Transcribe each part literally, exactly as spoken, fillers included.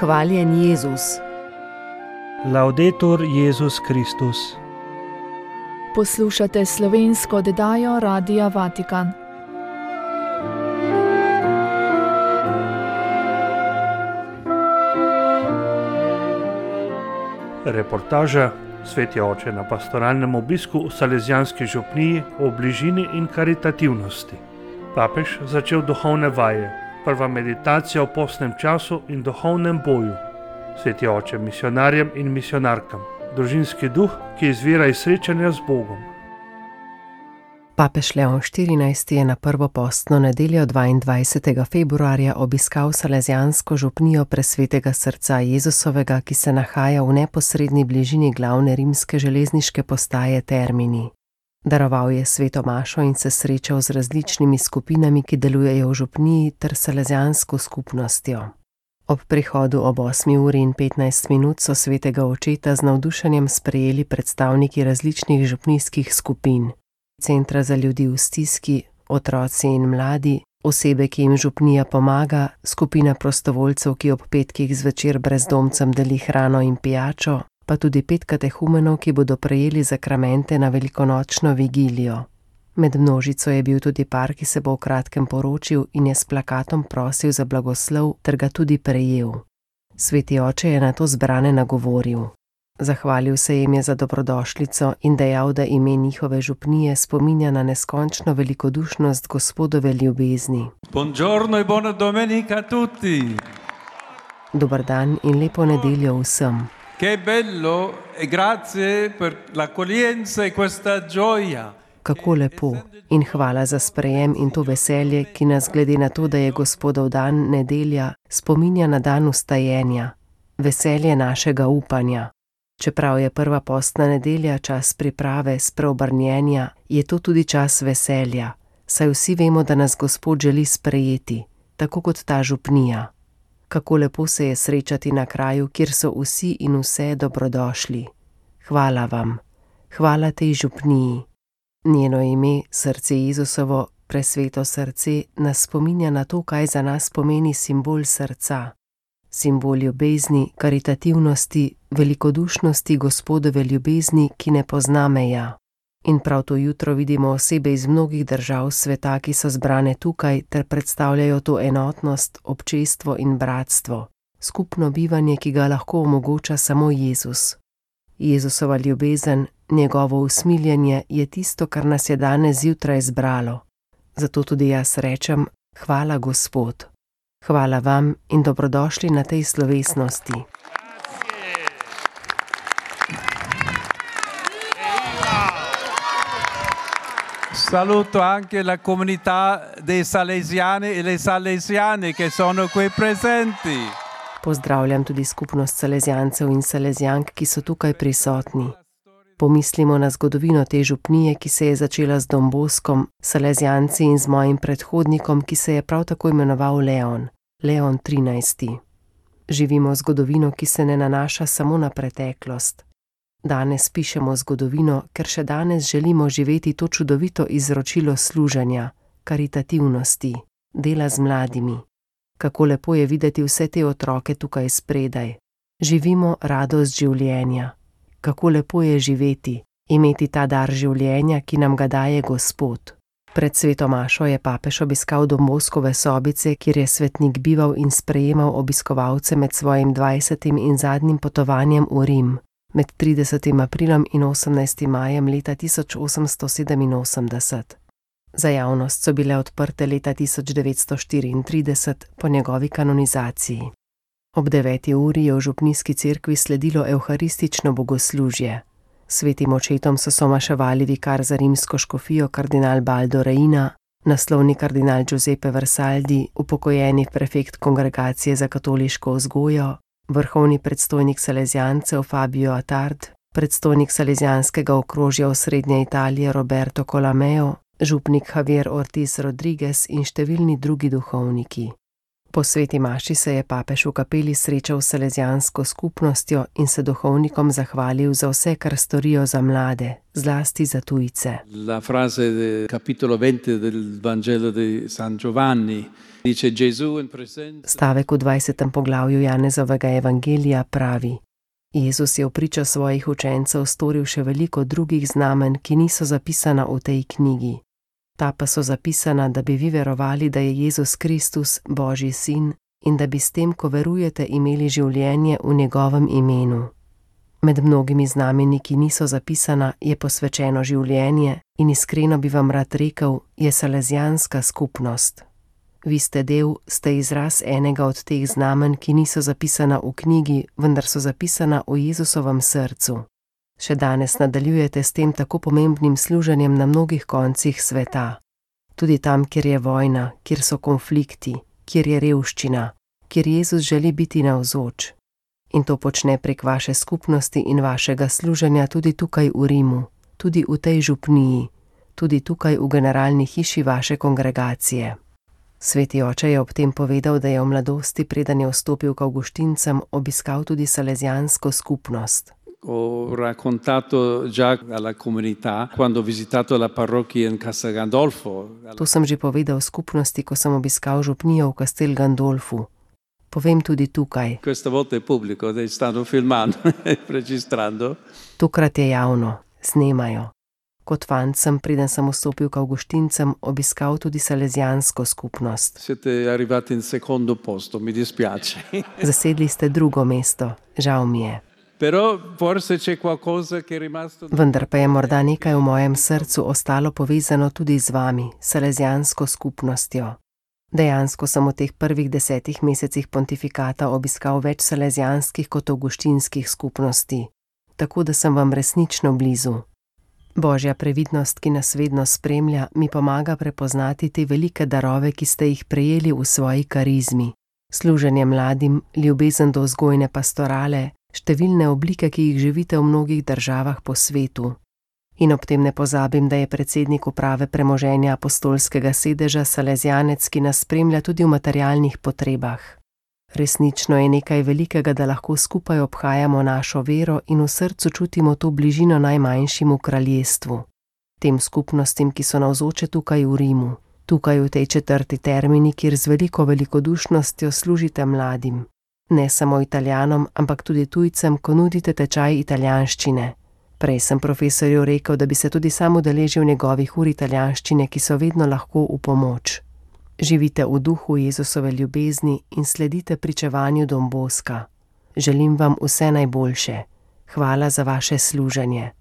Hvaljen Jezus. Laudetur Jezus Kristus. Poslušate slovensko oddajo Radia Vatikan. Reportaža Sveti oče na pastoralnem obisku v Salezijanski župniji o bližini in karitativnosti. Papež začel duhovne vaje, prva meditacija o postnem času in duhovnem boju. Sveti oče misionarjem in misionarkam, družinski duh, ki izvira iz srečanja z Bogom. Papež Leon štirinajsti je na prvo postno nedeljo dvaindvajsetega februarja obiskal Salezijansko župnijo Presvetega srca Jezusovega, ki se nahaja v neposredni bližini glavne rimske železniške postaje Termini. Daroval je sveto mašo in se srečal z različnimi skupinami, ki delujejo v župniji, ter salezijansko skupnostjo. Ob prihodu ob osmi uri in petnajst minut so svetega očeta z navdušenjem sprejeli predstavniki različnih župnijskih skupin. Centra za ljudi v stiski, otroci in mladi, osebe, ki jim župnija pomaga, skupina prostovoljcev, ki ob petkih zvečer brezdomcem deli hrano in pijačo, pa tudi pet katehumenov, ki bodo prejeli zakramente na velikonočno vigilijo. Med množico je bil tudi par, ki se bo v kratkem poročil in je s plakatom prosil za blagoslov ter ga tudi prejel. Sveti oče je nato zbrane nagovoril. Zahvalil se jim je za dobrodošlico in dejal, da ime njihove župnije spominja na neskončno velikodušnost Gospodove ljubezni. Buongiorno e buona domenica a tutti. Dober dan in lepo nedeljo vsem. Che bello e grazie per l'accoglienza e questa gioia. Kako lepo in hvala za sprejem in to veselje, ki nas glede na to, da je Gospodov dan nedelja, spominja na dan vstajenja, veselje našega upanja. Čeprav je prva postna nedelja čas priprave, spreobrnjenja, je to tudi čas veselja, saj vsi vemo, da nas Gospod želi sprejeti, tako kot ta župnija. Kako lepo se je srečati na kraju, kjer so vsi in vse dobrodošli. Hvala vam, hvala tej župniji. Njeno ime, srce Jezusovo, presveto srce, nas spominja na to, kaj za nas pomeni simbol srca. Simbol ljubezni, karitativnosti, velikodušnosti Gospodove ljubezni, ki ne pozna meja. In prav to jutro vidimo osebe iz mnogih držav sveta, ki so zbrane tukaj ter predstavljajo to enotnost, občestvo in bratstvo, skupno bivanje, ki ga lahko omogoča samo Jezus. Jezusova ljubezen, njegovo usmiljenje je tisto, kar nas je danes zjutraj zbralo. Zato tudi jaz rečem, hvala Gospod. Hvala vam in dobrodošli na tej slovesnosti. Saluto anche la comunità dei salesiani e le salesiane che sono qui presenti. Pozdravljam tudi skupnost salezijancev in salezijank, ki so tukaj prisotni. Pomislimo na zgodovino te župnije, ki se je začela z Don Boskom, salezijanci in z mojim predhodnikom, ki se je prav tako imenoval Leon, Leon trinajsti. Živimo zgodovino, ki se ne nanaša samo na preteklost. Danes pišemo zgodovino, ker še danes želimo živeti to čudovito izročilo služenja, karitativnosti, dela z mladimi. Kako lepo je videti vse te otroke tukaj spredaj. Živimo radost življenja. Kako lepo je živeti, imeti ta dar življenja, ki nam ga daje Gospod. Pred sveto mašo je papež obiskal Don Boskove sobice, kjer je svetnik bival in sprejemal obiskovalce med svojim dvajsetim in zadnjim potovanjem v Rim, med tridesetim aprilom in osemnajstim majem leta tisoč osemsto sedeminosemdeset. Za javnost so bile odprte leta tisoč devetsto štiriintrideset po njegovi kanonizaciji. Ob deveti uri je v župnijski cerkvi sledilo evharistično bogoslužje. Svetim očetom so somaševali vikar za rimsko škofijo kardinal Baldo Reina, naslovni kardinal Giuseppe Versaldi, upokojeni prefekt kongregacije za katoliško vzgojo, vrhovni predstojnik salezijancev Fabio Attard, predstojnik salezijanskega okrožja osrednje Italije Roberto Colameo, župnik Javier Ortiz Rodriguez in številni drugi duhovniki. Po sveti maši se je papež v kapeli srečal s salezijansko skupnostjo in se duhovnikom zahvalil za vse, kar storijo za mlade, zlasti za tujce. La frase del capitolo venti del Vangelo di San Giovanni dice Gesù in presenza. Stavek v dvajsetem poglavju Janezovega evangelija pravi: Jezus je v pričo svojih učencev storil še veliko drugih znamenj, ki niso zapisana v tej knjigi. Ta pa so zapisana, da bi vi verovali, da je Jezus Kristus, Božji sin, in da bi s tem, ko verujete, imeli življenje v njegovem imenu. Med mnogimi znameni, ki niso zapisana, je posvečeno življenje in iskreno bi vam rad rekel, je salezijanska skupnost. Vi ste del, ste izraz enega od teh znamenj, ki niso zapisana v knjigi, vendar so zapisana v Jezusovem srcu. Še danes nadaljujete s tem tako pomembnim služenjem na mnogih koncih sveta. Tudi tam, kjer je vojna, kjer so konflikti, kjer je revščina, kjer Jezus želi biti navzoč. In to počne prek vaše skupnosti in vašega služenja tudi tukaj v Rimu, tudi v tej župniji, tudi tukaj v generalni hiši vaše kongregacije. Sveti oče je ob tem povedal, da je v mladosti, preden je vstopil k Avguštincem, obiskal tudi salezijansko skupnost. Ho raccontato già alla comunità quando ho visitato la parrocchia in Castel Gandolfo. To sem že povedal skupnosti, ko sem obiskal župnijo v Castel Gandolfu. Povem tudi tukaj. Questa volta è pubblico, stanno filmando e registrando. Tokrat je javno, snemajo. Kot fant sem, preden sem vstopil k Avguštincem, obiskal tudi salezijansko skupnost. Siete arrivati in secondo posto, mi dispiace. Zasedli ste drugo mesto, žal mi je. Però forse c'è qualcosa che è rimasto. Vendar pa je morda nekaj v mojem srcu ostalo povezano tudi z vami, salezijansko skupnostjo. Dejansko sem v teh prvih desetih mesecih pontifikata obiskal več salezijanskih kot avguštinskih skupnosti, tako da sem vam resnično blizu. Božja previdnost, ki nas vedno spremlja, mi pomaga prepoznati te velike darove, ki ste jih prejeli v svoji karizmi. Služenje mladim, ljubezen do vzgojne pastorale, številne oblike, ki jih živite v mnogih državah po svetu. In ob tem ne pozabim, da je predsednik uprave premoženja apostolskega sedeža salezijanec, ki nas spremlja tudi v materialnih potrebah. Resnično je nekaj velikega, da lahko skupaj obhajamo našo vero in v srcu čutimo to bližino najmanjšim v kraljestvu. Tem skupnostim, ki so navzoče tukaj v Rimu, tukaj v tej četrti Termini, kjer z veliko velikodušnostjo služite mladim. Ne samo Italijanom, ampak tudi tujcem, ko nudite tečaj italijanščine. Prej sem profesorju rekel, da bi se tudi sam udeležil njegovih ur italijanščine, ki so vedno lahko v pomoč. Živite v duhu Jezusove ljubezni in sledite pričevanju Don Boska. Želim vam vse najboljše. Hvala za vaše služenje.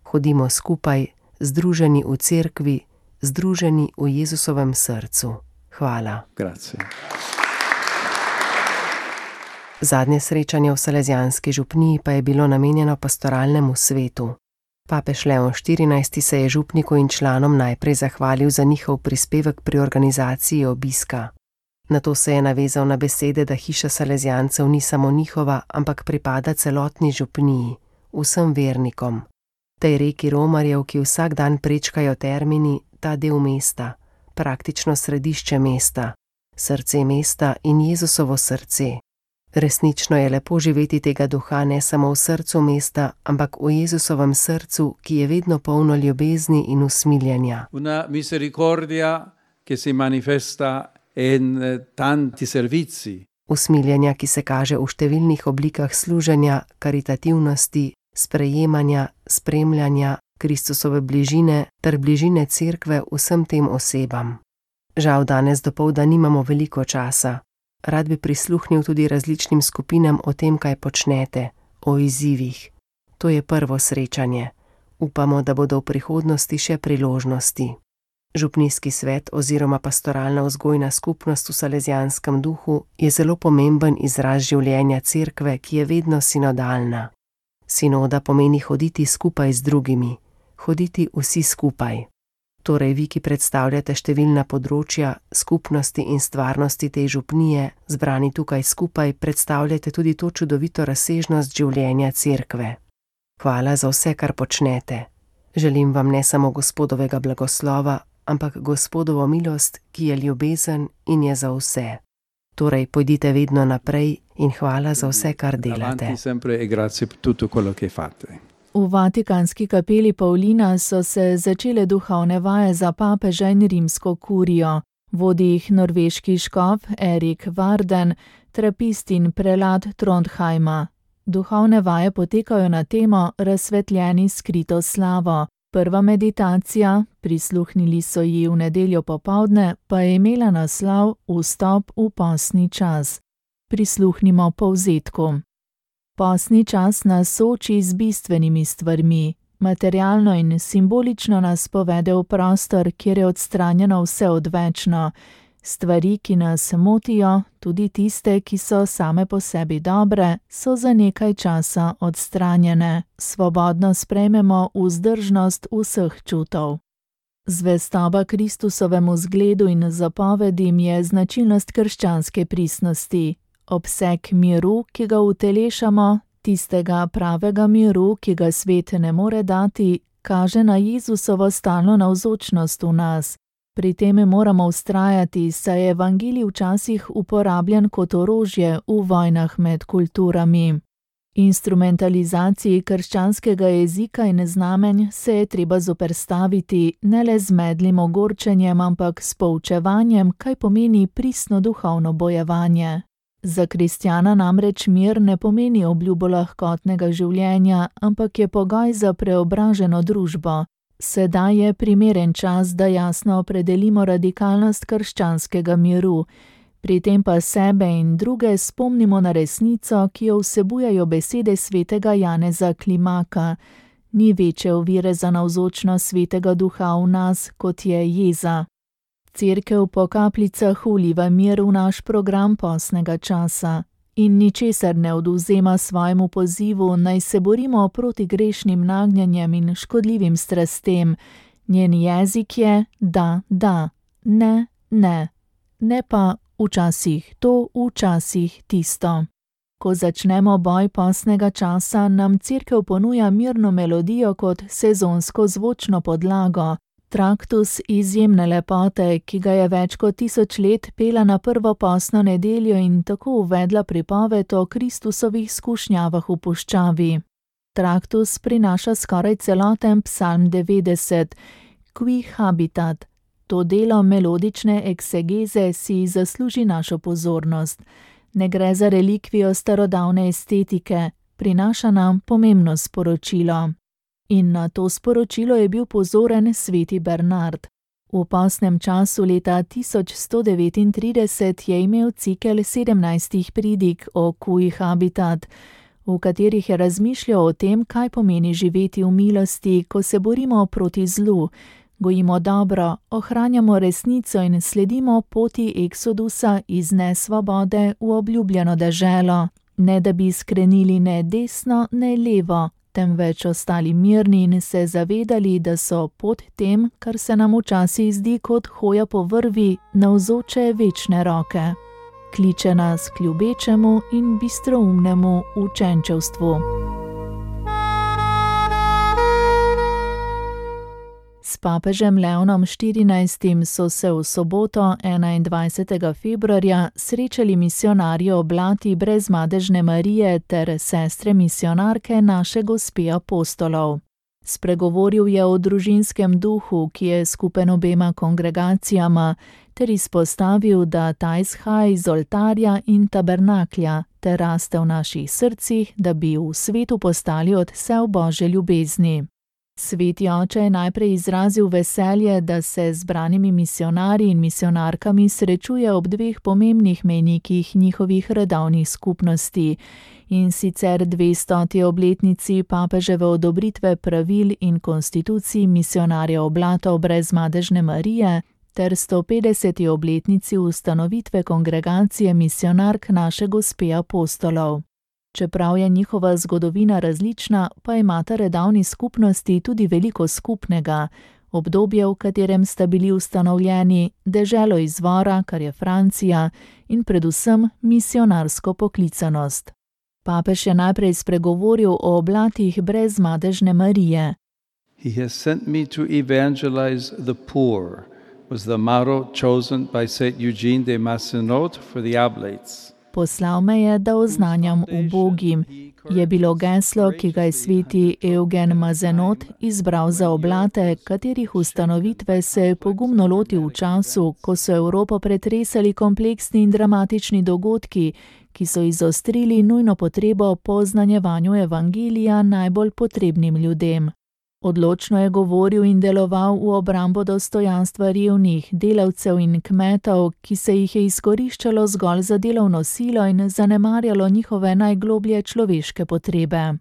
Hodimo skupaj, združeni v cerkvi, združeni v Jezusovem srcu. Hvala. Grazie. Zadnje srečanje v salezijanski župniji pa je bilo namenjeno pastoralnemu svetu. Papež Leon štirinajsti se je župniku in članom najprej zahvalil za njihov prispevek pri organizaciji obiska. Nato se je navezal na besede, da hiša salezijancev ni samo njihova, ampak pripada celotni župniji, vsem vernikom. Tej reki romarjev, ki vsak dan prečkajo Termini, ta del mesta, praktično središče mesta, srce mesta in Jezusovo srce. Resnično je lepo živeti tega duha ne samo v srcu mesta, ampak v Jezusovem srcu, ki je vedno polno ljubezni in usmiljenja. Una misericordia che si manifesta in tanti servizi. Usmiljenja, ki se kaže v številnih oblikah služenja, karitativnosti, sprejemanja, spremljanja, Kristusove bližine ter bližine cerkve vsem tem osebam. Žal danes dopoldan nimamo veliko časa. Rad bi prisluhnil tudi različnim skupinam o tem, kaj počnete, o izzivih. To je prvo srečanje. Upamo, da bodo v prihodnosti še priložnosti. Župnijski svet oziroma pastoralna vzgojna skupnost v salezijanskem duhu je zelo pomemben izraz življenja cerkve, ki je vedno sinodalna. Sinoda pomeni hoditi skupaj z drugimi, hoditi vsi skupaj. Torej vi, ki predstavljate številna področja, skupnosti in stvarnosti te župnije, zbrani tukaj skupaj, predstavljate tudi to čudovito razsežnost življenja cerkve. Hvala za vse, kar počnete. Želim vam ne samo Gospodovega blagoslova, ampak Gospodovo milost, ki je ljubezen in je za vse. Torej, pojdite vedno naprej in hvala za vse, kar delate. Avanti sempre e grazie per tutto quello che fate. V Vatikanski kapeli Paulina so se začele duhovne vaje za papeža in rimsko kurijo. Vodi jih norveški škof Erik Varden, trapist in prelat Trondheima. Duhovne vaje potekajo na temo Razsvetljeni skrito slavo. Prva meditacija, prisluhnili so ji v nedeljo popoldne, pa je imela naslov Vstop v postni čas. Prisluhnimo povzetku. Postni čas nas sooči z bistvenimi stvarmi. Materialno in simbolično nas povede v prostor, kjer je odstranjeno vse odvečno. Stvari, ki nas motijo, tudi tiste, ki so same po sebi dobre, so za nekaj časa odstranjene. Svobodno sprejmemo vzdržnost vseh čutov. Zvestoba Kristusovemu zgledu in zapovedim je značilnost krščanske pristnosti. Obseg miru, ki ga utelešamo, tistega pravega miru, ki ga svet ne more dati, kaže na Jezusovo stalno navzočnost v nas. Pri tem moramo vztrajati, saj je evangelij včasih uporabljen kot orožje v vojnah med kulturami. Instrumentalizaciji krščanskega jezika in znamenj se je treba zoperstaviti ne le z medlim ogorčenjem, ampak s poučevanjem, kaj pomeni pristno duhovno bojevanje. Za kristjana namreč mir ne pomeni obljubo lahkotnega življenja, ampak je pogoj za preobraženo družbo. Sedaj je primeren čas, da jasno opredelimo radikalnost krščanskega miru, pri tem pa sebe in druge spomnimo na resnico, ki jo vsebujejo besede svetega Janeza Klimaka. Ni večje ovire za navzočnost svetega duha v nas, kot je jeza. Cerkev po kapljicah vliva mir v naš program postnega časa in ničesar ne odvzema svojemu pozivu, naj se borimo proti grešnim nagnjenjem in škodljivim strastem. Njen jezik je da, da, ne, ne, ne pa včasih to, včasih tisto. Ko začnemo boj postnega časa, nam cerkev ponuja mirno melodijo kot sezonsko zvočno podlago. Traktus izjemne lepote, ki ga je več kot tisoč let pela na prvo postno nedeljo in tako uvedla pripoved o Kristusovih skušnjavah v puščavi. Traktus prinaša skoraj celoten psalm devetdeset, Qui habitat. To delo melodične eksegeze si zasluži našo pozornost. Ne gre za relikvijo starodavne estetike, prinaša nam pomembno sporočilo. In na to sporočilo je bil pozoren sveti Bernard. V postnem času leta tisoč sto devetintrideset je imel cikel sedemnajstih pridig o Cui habitat, v katerih je razmišljal o tem, kaj pomeni živeti v milosti, ko se borimo proti zlu, gojimo dobro, ohranjamo resnico in sledimo poti eksodusa iz nesvobode v obljubljeno deželo, ne da bi skrenili ne desno, ne levo, temveč ostali mirni in se zavedali, da so pod tem, kar se nam včasih zdi kot hoja po vrvi, navzoče večne roke. Kliče nas k ljubečemu in bistroumnemu učenčevstvu. S papežem Leonom štirinajstim so se v soboto enaindvajsetega februarja srečali misionarji oblati Brezmadežne Marije ter sestre misionarke Naše Gospe apostolov. Spregovoril je o družinskem duhu, ki je skupen obema kongregacijama, ter izpostavil, da ta izhaja iz oltarja in tabernaklja ter raste v naših srcih, da bi v svetu postali odsev Božje ljubezni. Sveti oče je najprej izrazil veselje, da se z zbranimi misionarji in misionarkami srečuje ob dveh pomembnih mejnikih njihovih redovnih skupnosti, in sicer dvestoti obletnici papeževe odobritve pravil in konstitucij misionarjev oblatov Brezmadežne Marije ter sto petdeseti obletnici ustanovitve kongregacije misionark Naše Gospe apostolov. Čeprav je njihova zgodovina različna, pa imata redovni skupnosti tudi veliko skupnega, obdobje, v katerem sta bili ustanovljeni, deželo izvora, kar je Francija, in predvsem misionarsko poklicanost. Papež je najprej spregovoril o oblatih Brezmadežne Marije. He has sent me to evangelize the poor was the motto chosen by Saint Eugene de Macenot for the oblates. Poslal me je, da oznanjam ubogim, je bilo geslo, ki ga je sveti Eugen Mazenot izbral za oblate, katerih ustanovitve se je pogumno lotil v času, ko so Evropo pretresali kompleksni in dramatični dogodki, ki so izostrili nujno potrebo po oznanjevanju evangelija najbolj potrebnim ljudem. Odločno je govoril in deloval v obrambo dostojanstva revnih, delavcev in kmetov, ki se jih je izkoriščalo zgolj za delovno silo in zanemarjalo njihove najgloblje človeške potrebe.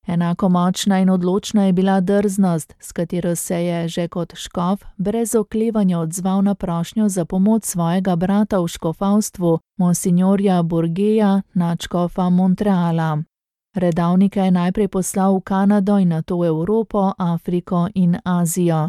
Enako močna in odločna je bila drznost, s katero se je že kot škof brez oklevanja odzval na prošnjo za pomoč svojega brata v škofavstvu, monsignorja Bourgeja, nadškofa Montreala. Redavnika je najprej poslal v Kanado in nato v Evropo, Afriko in Azijo.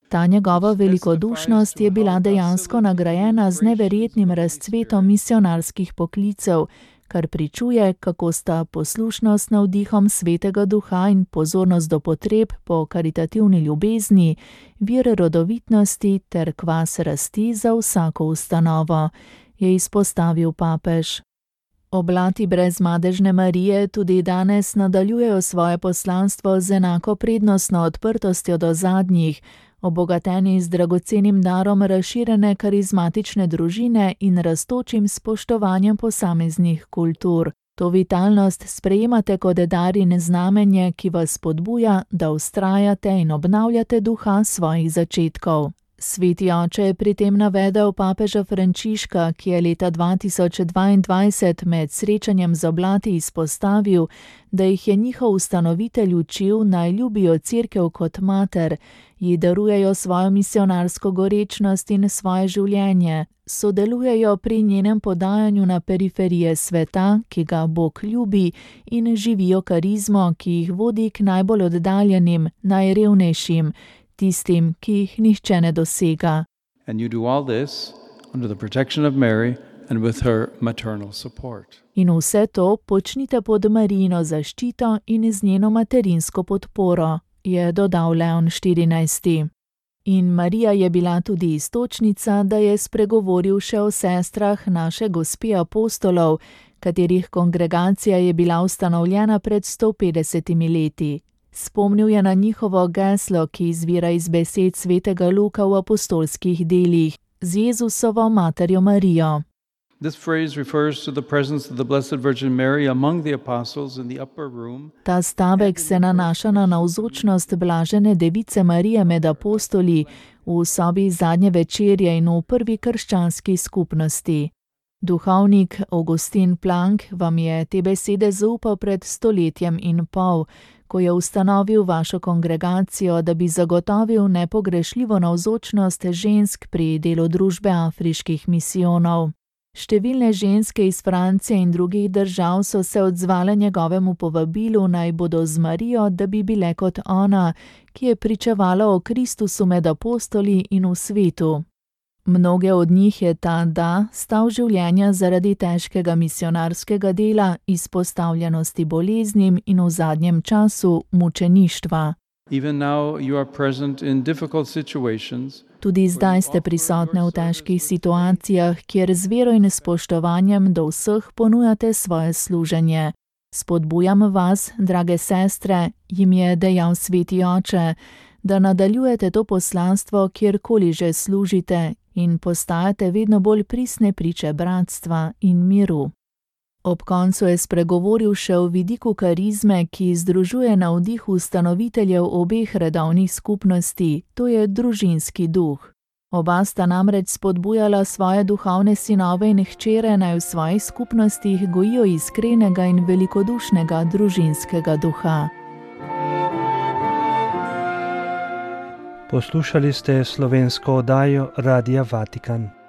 Ta njegova velikodušnost je bila dejansko nagrajena z neverjetnim razcvetom misionarskih poklicev, kar pričuje, kako sta poslušnost navdihom Svetega Duha in pozornost do potreb po karitativni ljubezni, vir rodovitnosti ter kvas rasti za vsako ustanovo, je izpostavil papež. Oblati brez madežne Marije tudi danes nadaljujejo svoje poslanstvo z enako prednostno odprtostjo do zadnjih, obogateni z dragocenim darom razširjene karizmatične družine in rastočim spoštovanjem posameznih kultur. To vitalnost sprejemate kot dar in znamenje, ki vas spodbuja, da vztrajate in obnavljate duha svojih začetkov. Sveti oče je pri tem navedel papeža Frančiška, ki je leta dva tisoč dvaindvajset med srečanjem z oblati izpostavil, da jih je njihov ustanovitelj učil, naj ljubijo cerkev kot mater, ji darujejo svojo misionarsko gorečnost in svoje življenje, sodelujejo pri njenem podajanju na periferije sveta, ki ga Bog ljubi, in živijo karizmo, ki jih vodi k najbolj oddaljenim, najrevnejšim, tistim, ki jih nihče ne dosega. And you do all this under the protection of Mary and with her maternal support. In vse to počnite pod Marijino zaščito in z njeno materinsko podporo, je dodal Leon štirinajsti. In Marija je bila tudi iztočnica, da je spregovoril še o sestrah naše gospe apostolov, katerih kongregacija je bila ustanovljena pred sto petdesetimi leti. Spomnil je na njihovo geslo, ki izvira iz besed svetega Luka v apostolskih delih, z Jezusovo materjo Marijo. This phrase refers to the presence of the Blessed Virgin Mary among the apostles in the upper room. Ta stavek se nanaša na navzočnost blažene device Marije med apostoli v sobi zadnje večerje in v prvi krščanski skupnosti. Duhovnik Augustin Planck vam je te besede zaupal pred stoletjem in pol, ko je ustanovil vašo kongregacijo, da bi zagotovil nepogrešljivo navzočnost žensk pri delu družbe afriških misijonov. Številne ženske iz Francije in drugih držav so se odzvale njegovemu povabilu, naj bodo z Marijo, da bi bile kot ona, ki je pričevala o Kristusu med apostoli in v svetu. Mnoge od njih je ta da stal življenja zaradi težkega misionarskega dela, izpostavljenosti boleznim in v zadnjem času mučeništva. Even now you are present in difficult situations. Tudi zdaj ste prisotne v težkih situacijah, kjer z vero in spoštovanjem do vseh ponujate svoje služenje. Spodbujam vas, drage sestre, jim je dejal sveti oče, da nadaljujete to poslanstvo, kjerkoli že služite, in postajate vedno bolj pristne priče bratstva in miru. Ob koncu je spregovoril še o vidiku karizme, ki združuje navdih ustanoviteljev obeh redovnih skupnosti, to je družinski duh. Oba sta namreč spodbujala svoje duhovne sinove in hčere, naj v svojih skupnostih gojijo iskrenega in velikodušnega družinskega duha. Poslušali ste slovensko oddajo Radia Vatikan.